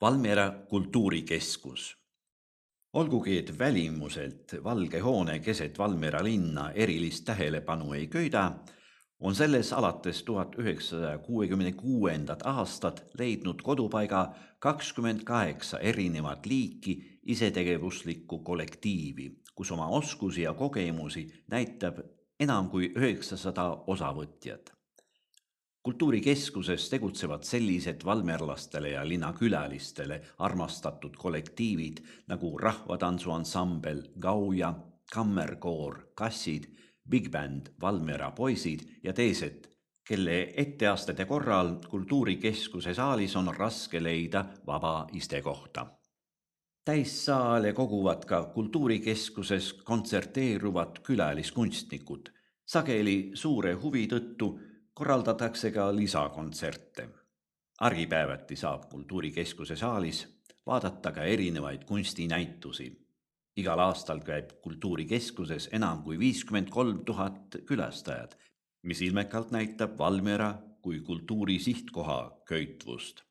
Valmiera kultuurikeskus. Olgugi, et välimuselt valge hoone keset Valmiera linna erilist tähelepanu ei köida, on selles alates 1966. aastat leidnud kodupaiga 28 erinevat liiki isetegevuslikku kollektiivi, kus oma oskusi ja kogemusi näitab enam kui 900 osavõtjat. Kultuurikeskuses tegutsevad sellised valmerlastele ja linnakülalistele armastatud kollektiivid nagu rahvatantsuansambel Gauja, kammerkoor, kassid, Big Band, Valmiera poisid ja teised, kelle etteastete korral kultuurikeskuse saalis on raske leida vaba istekohta. Täissaale koguvad ka kultuurikeskuses kontserteeruvad külaliskunstnikud. Sageli suure huvi tõttu korraldatakse ka lisakontserte. Argipäevati saab kultuurikeskuse saalis vaadata ka erinevaid kunstinäitusi. Igal aastal käib kultuurikeskuses enam kui 53 000 külastajad, mis ilmekalt näitab Valmiera kui kultuuri sihtkoha köitvust.